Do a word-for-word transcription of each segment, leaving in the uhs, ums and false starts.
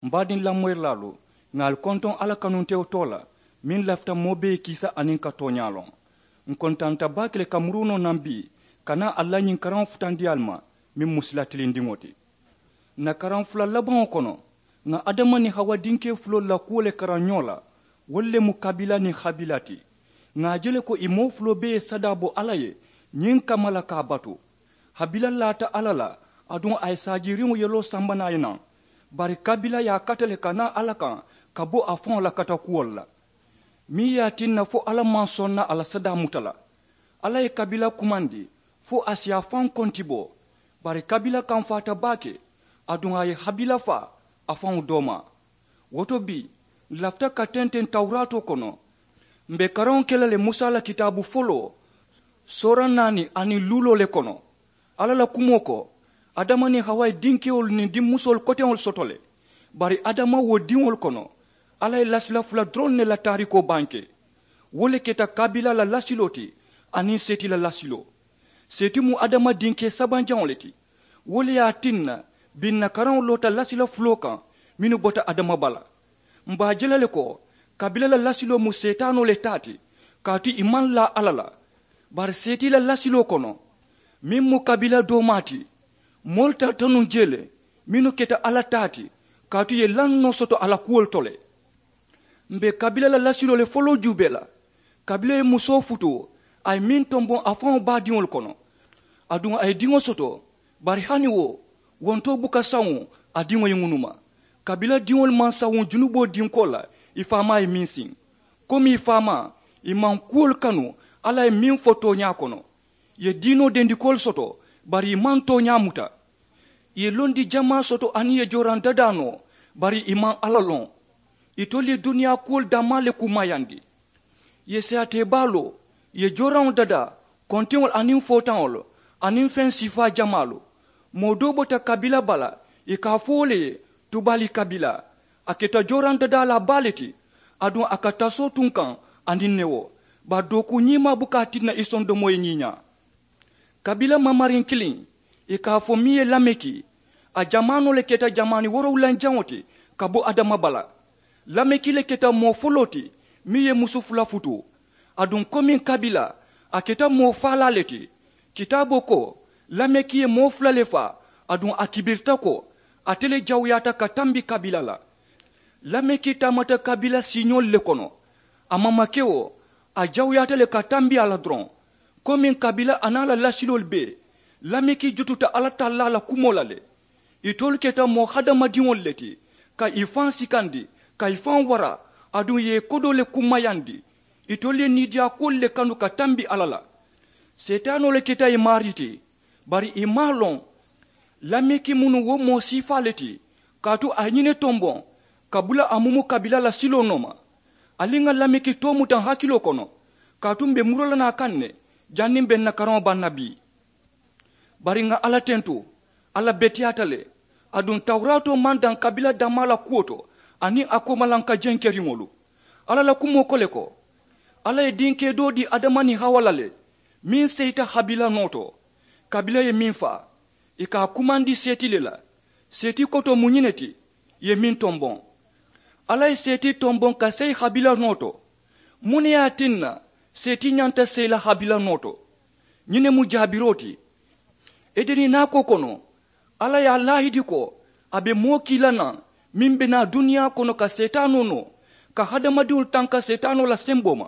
M baadiŋ lamoyirilaalu, ŋà ali kontoŋ alla kanuntewo too la, meŋ lafita moo bee ye kiisa aniŋ ka tooñaa loŋ. Ǹ kontanta baake le ka murunoo naŋ bii ka naa ali la ñiŋ karaŋo futandi ali ma, meŋ mu sila tilindiŋo ti. Ǹ na karaŋ fula labaŋo kono, ŋà adama niŋ hawa dinkee fuloolu la kuwo le karaŋ ñoo la. Wolu le mu kabila niŋ habila ti. Ŋà a je le ko ì moo fuloo bee ye sadaa bo alla ye ñiŋ kamma la ka a batu. Habila laata alla la, aduŋ a ye saajiiriŋo yeloo samba naŋ a ye naŋ. Bari kabila ye a kata le ka naa alla kaŋ ka bo a faŋo la katakuwolu la. Meŋ ye a tinna fo alla maŋ soŋ na a la sadaa muta la. Alla ye kabila kumandi fo a si a faŋ konti bo. Bari kabila kamfaata baake, aduŋ a ye habila faa a faŋo doomaa. Wo to bii, ǹ lafita ka tenteŋ tawuraatoo kono. M̀ be karaŋo ke la le musa la kitaabu foloo, soora naani aniŋ luuloo le kono. Alla la kumoo ko, adama niŋ hawa ye dinkewolu niŋ dimmusoolu koteŋolu soto le. Bari adama wo diŋolu kono, alla ye lasila fula doroŋ ne la taarikoo banke. Wo le keta kabila la lasiloo ti aniŋ seeti la lasiloo. Seeti mu adama dinkee sabanjaŋo le ti. Wo le ye a tinna, biŋ ǹ na karaŋo loota lasila fuloo kaŋ mennu bota adama bala. M̀ be a je la le ko, kabila la lasiloo mu seetaanoo le taa ti, kaatu ì maŋ laa alla la. Bari seeti la lasiloo kono, meŋ mu kabila doomaa ti, moolu tarata nuŋ jee le mennu keta alla taa ti, kaatu ì ye lannoo soto a la kuwolu to le. M̀ be kabila la lasiloo le foloo juubee la. Kabila ye musoo futuu, a ye meŋ tomboŋ a faŋo baadiŋolu kono. Aduŋ a ye diŋo soto, bari hani wo, wontoo buka sawuŋ a diŋo ye ŋunuma. Kabila diŋolu maŋ sawuŋ junuboo dinkoo la ì faamaa ye meŋ siŋ. Komi ì faamaa, ì maŋ kuwolu kanu alla ye meŋ fo tooñaa kono. Ì ye diinoo dendikoolu soto, bari ì maŋ tooñaa muta. Ì ye londi jamaa soto aniŋ ì ye jooraŋ dadaa noo, bari ì maŋ alla loŋ. Itolu ye duniyaa kuwolu dammaa le kummayandi. Ì ye seyaatee baa loo, ì ye jooraŋo dadaa, kontiŋolu aniŋ footaŋolu, aniŋ feŋ sifaa jamaalu. Moo doo bota kabila bala, ì ka a fo wo le ye, tubaali kabila. A keta jooraŋ dadaalaa baa le ti. Aduŋ a ka tasoo tunkaŋ aniŋ newo. Bari dookuu ñiimaa buka a tinna ì sondomoo ye ñiiñaa. Kabila mamariŋ kiliŋ, ì ka a fo meŋ ye lameki, a jamaanoo le keta jamaani woorowulanjaŋo ti ka bo adama bala. Lameki le keta moo foloo ti meŋ ye musu fula futuu. Aduŋ komiŋ kabila, a keta moo faalaa le ti. Kitaaboo ko, lameki ye moo fula le faa. Aduŋ a kibirita ko, ate le jawuyaata ka tambi kabila la. Lameki taamata kabila siiñoolu le kono. A mamakeo, a jawuyaata le ka tambi a la doroŋ. Komiŋ kabila aniŋ a la lasiloolu bee, lameki jututa alla tallaa la kumoo la le. Itolu keta moo hadamadiŋolu le ti, ka ì faŋ sikandi, ka ì faŋ wara, aduŋ ì ye ì kodoo le kummayandi. Itolu ye niidiyaakuwolu le kanu ka tambi alla la. Seetaanoo le keta ì maarii ti. Bari ì maŋ a loŋ, lameki mu nuŋ wo moo siifaa le ti. Kaatu a ye ñiŋ ne tomboŋ, ka bula a mumu kabila la siloo nooma. Ali ŋà lameki too muta ǹ hakiloo kono. Kaatu m̀ be muroo la naŋ a kaŋ ne, janniŋ m̀ be ǹ na karaŋo baŋ na bii. Bari ŋà alla tentu, alla beteyaata le. Aduŋ tawuraatoo maŋ daŋ kabila dammaa la kuwo to, aniŋ a koomalanka jenkeriŋolu. Alla la kumoo ko le ko, alla ye dinkee doo dii adama niŋ hawa la le, meŋ seyita habila noo to. Kabila ye meŋ faa, ì ka a kumandi seeti le la. Seeti kotoo mu ñiŋ ne ti, ì ye meŋ tomboŋ. Alla ye seeti tomboŋ ka seyi habila noo to. Muŋ ne ye a tinna seeti ñanta seyi la habila noo to? Ñiŋ ne mu jaabiroo ti. Edeni naakoo kono, alla ye a laahidi ko, a be moo kii la naŋ, meŋ be naa duniyaa kono ka seetaanoo noo, ka hadamadiŋolu tanka seetaanoo la semboo ma.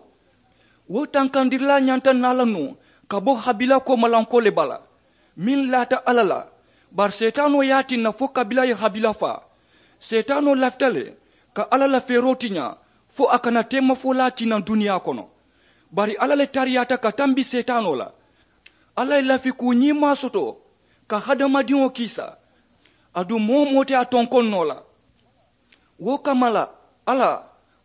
Wo tankandirilaa ñanta naa la nuŋ ka bo habila koomalankoo le bala, meŋ laata alla la. Bari seetaanoo ye a tinna fo kabila ye habila faa. Seetaanoo lafita le ka alla la feeroo tiñaa, fo a kana teemafolaa kii naŋ duniyaa kono. Bari alla le tariyaata ka tambi seetaanoo la. Alla ye lafi kuu ñiimaa soto ka hadamadiŋo kiisa. Aduŋ moo wo moo te a tonkoŋ noo la. Wo kamma la, alla,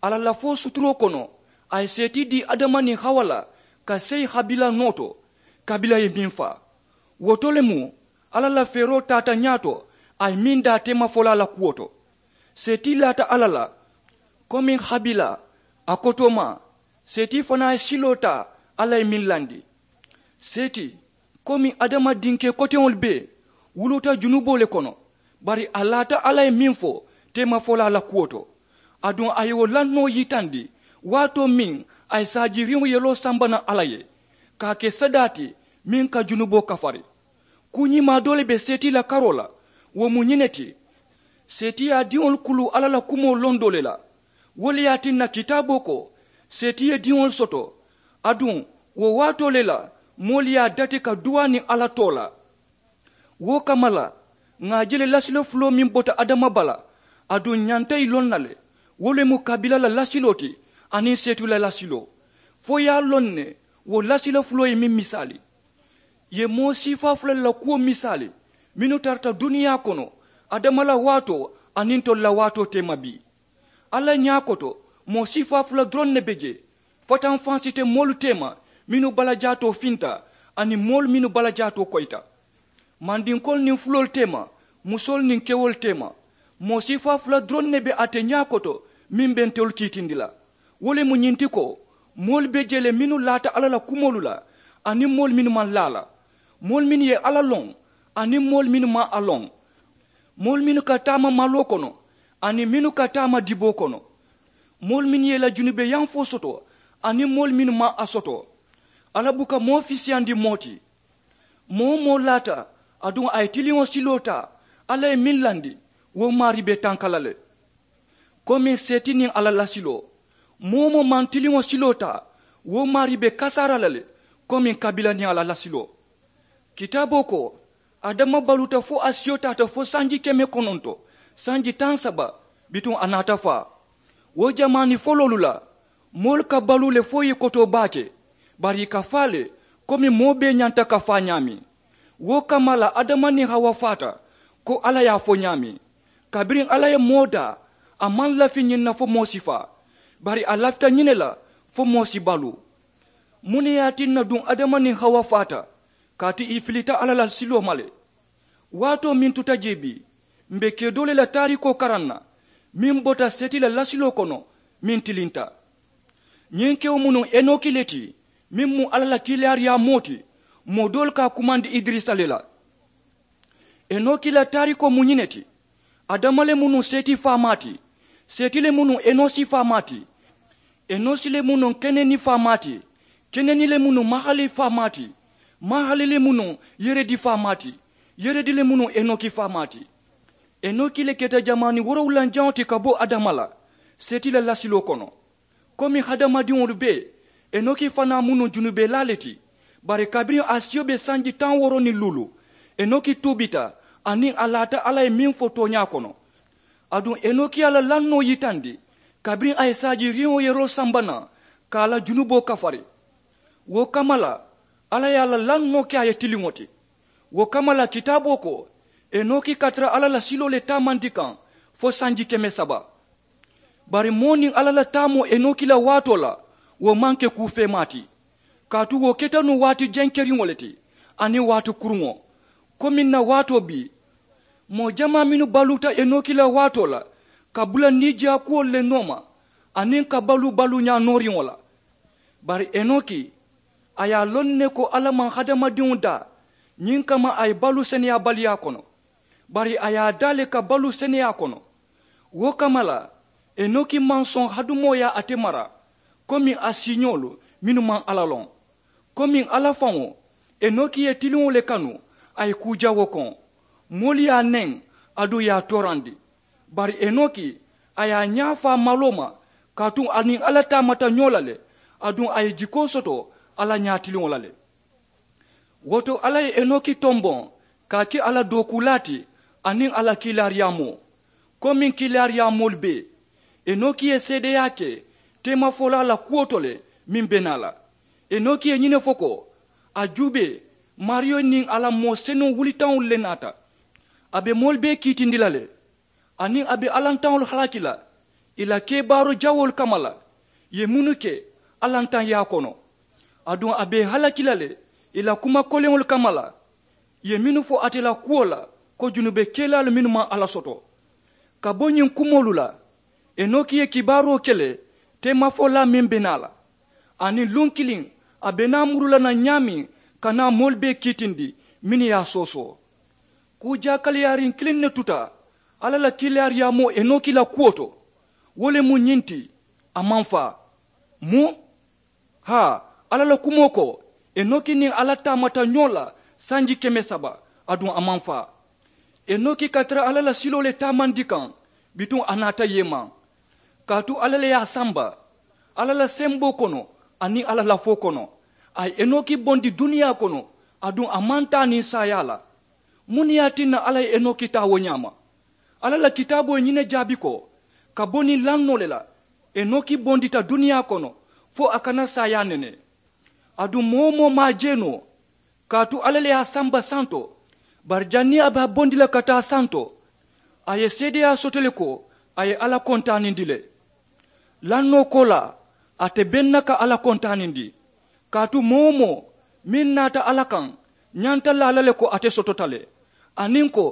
a la lafoo suturoo kono, a ye seeti dii adama niŋ hawa la ka seyi habila noo to. Kabila ye meŋ faa, wo to le mu alla la feeroo taata ñaato, a ye meŋ daa teemafolaa la kuwo to. Seeti laata alla la, komiŋ habila, a kotoomaa, seeti fanaa ye siloo taa, alla ye meŋ landi. Seeti, komiŋ adama dinkee koteŋolu bee, wuluuta junuboo le kono. Bari a laata alla ye meŋ fo, teemafolaa la kuwo to. Aduŋ a ye wo lannoo yitandi waatoo meŋ a ye saajiriŋo yeloo samba naŋ alla ye ka a ke sadaa ti meŋ ka junuboo kafari. Kuu ñimaa doo le be seetii la karoo la. Wo mu ñiŋ ne ti, seetiyaa diŋolu kuluu alla la kumoo londoo le la. Wo le ye a tinna kitaaboo ko, seeti ye diŋolu soto. Aduŋ wo waatoo le la moolu ye a dati ka duwaa niŋ alla too la. Wo kamma la ŋà a je le lasiloo fuloo meŋ bota adama bala, aduŋ ñanta ì loŋ na le. Wo le mu kabila la lasiloo ti aniŋ seetu la lasiloo. Fo i ye a loŋ ne wo lasiloo fuloo ye meŋ misaali. Ì ye moo siifaa fula le la kuwo misaali mennu tarata duniyaa kono, adama la waatoo aniŋ ntolu la waatoo teema bii. Alla ñaa koto moo siifaa fula doroŋ ne be jee. Fatanfansite moolu teema mennu balajaatoo finta aniŋ moolu mennu balajaatoo koyita. Mandinkoolu niŋ fuloolu teema, musoolu niŋ kewolu teema. Moo siifaa fula doroŋ ne be ate ñaa koto meŋ be ntolu kiitindi la. Wo le mu ñiŋ ti ko moolu be jee le mennu laata alla la kumoolu la aniŋ moolu mennu maŋ laa la. Moolu mennu ye alla loŋ aniŋ moolu mennu maŋ a loŋ. Moolu mennu ka taama maloo kono aniŋ mennu ka taama diboo kono. Moolu mennu ye i la junubeyanfoo soto aniŋ moolu mennu maŋ a soto. Alla buka moo fisiyandi moo ti. Moo-wo-moo laata aduŋ a ye tiliŋo siloo taa, alla ye meŋ landi wo maarii be tanka la le. Komiŋ seeti niŋ a la lasiloo, moo-wo-moo maŋ tiliŋo siloo taa, wo maarii be kasaara la le. Komiŋ kabila niŋ a la lasiloo. Kitaaboo ko, adama baluuta fo a siyo taata fo sanji keme kononto sanji taŋ saba, bituŋ a naata faa. Wo jamaani foloolu la moolu ka baluu le fo ì ye kotoo baake, bari ì ka faa le komi moo bee ñanta ka faa ñaameŋ. Wo kamma la adama niŋ hawa faata, ko alla ye a fo ñaameŋ. Kabiriŋ alla ye moo daa, a maŋ lafi ñiŋ na fo moo si faa, bari a lafita ñiŋ ne la fo moo si baluu. Muŋ ne ye a tinna duŋ adama niŋ hawa faata? Kaatu ì filita alla la siloo ma le. Waatoo meŋ tuta jee bii, m̀ be kee doo le la taariikoo karaŋ na meŋ bota seeti la lasiloo kono, meŋ tilinta. Ñiŋ kewo mu nuŋ enoki le ti, meŋ mu alla la kiilaariyaamoo ti. Moo doolu ka a kumandi idirisa le la. Enoki la taariikoo mu ñiŋ ne ti. Adama le mu nuŋ seeti faamaa ti. Seeti le mu nuŋ enosi faamaa ti. Enosi le mu nuŋ keneni faamaa ti. Keneni le mu nuŋ mahali faamaa ti. Mahali le mu nuŋ yeredi faamaa ti. Yeredi le mu nuŋ enoki faamaa ti. Enoki le keta jamaani woorowulanjaŋo ti ka bo adama la seeti la lasiloo kono. Komi hadamadiŋolu bee, enoki fanaa mu nuŋ junubelaa le ti. Bari kabiriŋ a siyo be sanji taŋ wooro niŋ luulu, enoki tuubita aniŋ a laata alla ye meŋ fo tooñaa kono. Aduŋ enoki ye a la lannoo yitandi kabiriŋ a ye saajiriŋo yeroo samba naŋ ka a la junuboo kafari. Wo kamma la alla ye a la lannoo ke a ye tiliŋo ti. Wo kamma la kitaaboo ko, enoki ka tara alla la siloo le taamandi kaŋ fo sanji keme saba. Bari moo niŋ alla la taamoo enoki la waatoo la, wo maŋ ke kuu feemaa ti. Kaatu wo keta nuŋ waati jenkeriŋo le ti aniŋ waati kuruŋo. Komiŋ na waatoo bii, moo jamaa mennu baluuta enoki la waatoo la ka bula niijaakuwolu le nooma aniŋ ka baluu baluuñaa nooriŋo la. Bari enoki, a ye a loŋ ne ko alla maŋ hadamadiŋo daa ñiŋ kamma a ye baluu seneyaabaliyaa kono. Bari a ye a daa le ka baluu seneyaa kono. Wo kamma la, enoki maŋ soŋ hadumooyaa ate mara komi a siiñoolu mennu maŋ alla loŋ. Komi alla faŋo, enoki ye tiliŋo le kanu a ye kuu jawoo koŋ. Moolu ye a neŋ, aduŋ ì ye a toorandi. Bari enoki, a ye a ñaa faa maloo ma, kaatu a niŋ alla taamata ñoo la le. Aduŋ a ye jikoo soto alla ñaatiliŋo la le. Wo to alla ye enoki tomboŋ ka a ke a la dookuulaa ti aniŋ a la kiilaariyaamoo. Komiŋ kiilaariyaamoolu bee, enoki ye seedeyaa ke teemafolaa la kuwo to le meŋ be naa la. Enoki ye ñiŋ ne fo ko, a juubee, maariyo niŋ a la moo senuŋ wulitaŋolu le naata. A be moolu bee kiitindi la le. Aniŋ a be alantaŋolu halaki la ì la kebaaroo jawoolu kamma la. Ì ye mennu ke alantaŋyaa kono, aduŋ a be ì halaki la le ì la kuma koleŋolu kamma la. Ì ye mennu fo ate la kuwo la ko junubekelaalu mennu maŋ alla soto. Ka bo ñiŋ kumoolu la, enoki ye kibaaroo ke le teemafolaa meŋ be naa la. Aniŋ luŋ kiliŋ a be naa muru la naŋ ñaameŋ ka naa moolu bee kiitindi mennu ye a soosoo. Kuu jaakaliyaariŋ kiliŋ ne tuta Alla la kiilaariyaamoo enoki la kuwo to, wo le mu ñiŋ ti, a maŋ faa. Mu haa, alla la kumoo ko, enoki niŋ alla taamata ñoo la sanji keme saba, aduŋ a maŋ faa. Enoki ka tara alla la siloo le taamandi kaŋ, bituŋ a naata yeemaŋ. Kaatu alla le ye a samba, alla la semboo kono aniŋ alla lafoo kono. A ye enoki bondi duniyaa kono, aduŋ a maŋ taa niŋ saayaa la. Muŋ ne ye a tinna alla ye enoki taa wo ñaama? Alla la kitaaboo ye ñiŋ ne jaabi ko, ka bo niŋ lannoo le la, enoki bondita duniyaa kono, fo a kana saayaa nene. Aduŋ moo-wo-moo maŋ a je noo, kaatu alla le ye a samba santo. Bari janniŋ a be a bondi la ka taa santo, a ye seedeyaa soto le ko a ye alla kontaanindi le. Lannoo koolaa, ate beŋ na ka alla kontaanindi. Kaatu moo-wo-moo meŋ naata alla kaŋ, ñanta laa la le ko ate sotota le, aniŋ ko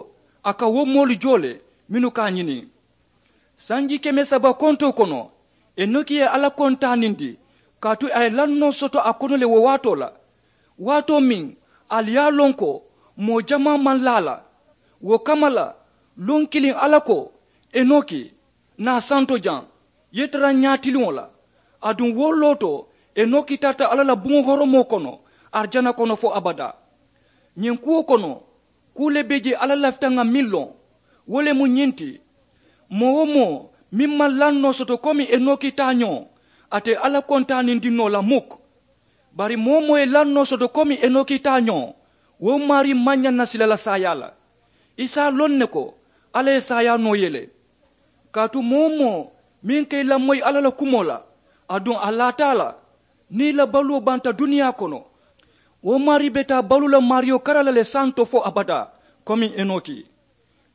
a ka wo moolu joo le mennu ka a ñini. Sanji keme saba kontoo kono, enoki ye alla kontaanindi, kaatu a ye lannoo soto a kono le wo waatoo la. Waatoo meŋ ali ye a loŋ ko moo jamaa maŋ laa a la. Wo kamma la, luŋ kiliŋ alla ko, enoki, naa santo jaŋ, ye tara ñaatiliŋo la. Aduŋ wo loo to, enoki tarata alla la buŋo horomoo kono, arijana kono fo abadaa. Ñiŋ kuwo kono, kuu le be jee alla lafita ŋà meŋ loŋ, wo le mu ñiŋ ti, moo-wo-moo meŋ maŋ lannoo soto komi enoki taañoo, ate alla kontaanindi noo la muk. Bari moo-wo-moo ye lannoo soto komi enoki taañoo, wo maarii maŋ ñaŋ na sila la saayaa la. I si a loŋ ne ko alla ye saayaa noo ye le. Kaatu moo-wo-moo meŋ ka i lamoyi alla la kumoo la, aduŋ a laata a la, niŋ i la baluwo banta duniyaa kono, wo maarii be taa baluu la maariyo kara la le santo fo abadaa, komi enoki.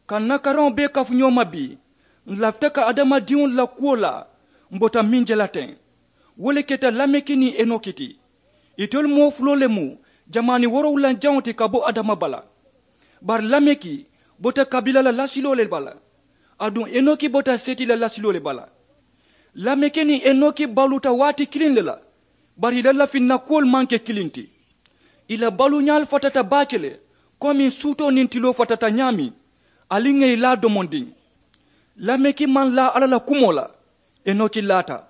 Ka n na karaŋo bee kafu ñoo ma bii, n lafita ka adamadiŋolu la kuwo laa, m bota meŋ je la teŋ. Wo le keta lameki niŋ enoki ti. Itelu moo fuloo le mu jamaani woorowulanjaŋo ti ka bo adama bala. Bari lameki bota kabila la lasiloo le bala, aduŋ enoki bota seti la lasiloo le bala. Lameki niŋ enoki baluuta waati kiliŋ le la, bari i la lafinna kuwolu maŋ ke kiliŋ ti. I la baluuñaalu fatata baake le, komi suutoo niŋ tiloo fatata ñaameŋ, ali ŋà i laa domondiŋ. Lameki maŋ laa alla la kumoo la, enoki laata.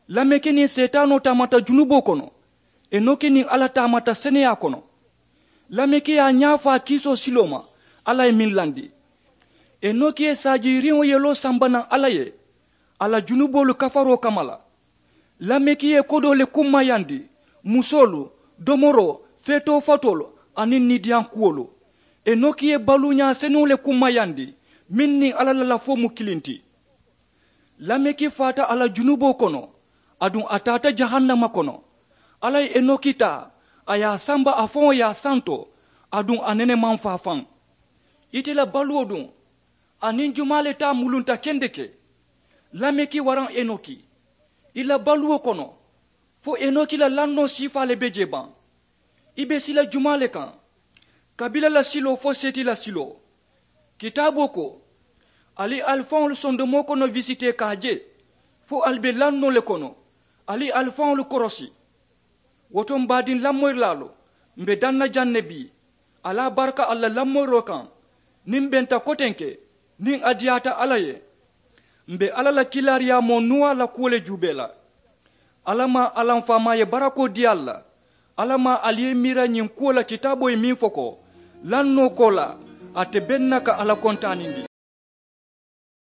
Lameki niŋ seetaanoo taamata junuboo kono, enoki niŋ alla taamata seneyaa kono. Lameki ye a ñaa faa kiisoo siloo ma, alla ye meŋ landi. Enoki ye saajiiriŋo yeloo samba naŋ alla ye, a la junuboolu kafaroo kamma la. Lameki ye kodoo le kummayandi, musoolu, domoroo, feetoo fatoolu, aniŋ niidiyaŋ kuwolu. Enoki ye baluuñaa senuŋo le kummayandi, meŋ niŋ alla la lafoo mu kiliŋ ti. Lameki faata a la junuboo kono, aduŋ a taata jahannama kono. Alla ye enoki taa, a ye a samba a faŋo ye a santo, aduŋ a nene maŋ faa faŋ. Ite la baluwo duŋ, aniŋ jumaa le taa mulunta kendeke? Lameki waraŋ enoki, i la baluwo kono, fo enoki la lannoo siifaa le be jee baŋ? I be sila jumaa le kaŋ? Kabila la siloo fo seti la siloo. Kitaaboo ko, ali ali faŋolu sondomoo kono wisitee ka a je, fo ali be lannoo le kono, ali ali faŋolu korosi. Wo to m baadiŋ lamoyirilaalu, m be daŋ na jaŋ ne bii. Ali a baraka ali la lamoyiroo kaŋ, niŋ m benta kotenke, niŋ a diyaata alla ye. M be alla la kiilaariyaamoo nuwaa la kuwo le juubee la. Alla maŋ alla m faamaa ye barakoo dii ali la. Alla maŋ ali ye i miira ñiŋ kuwo la kitaaboo ye meŋ fo ko, lannoo koolaa, ate beŋ na ka alla kontaanindi.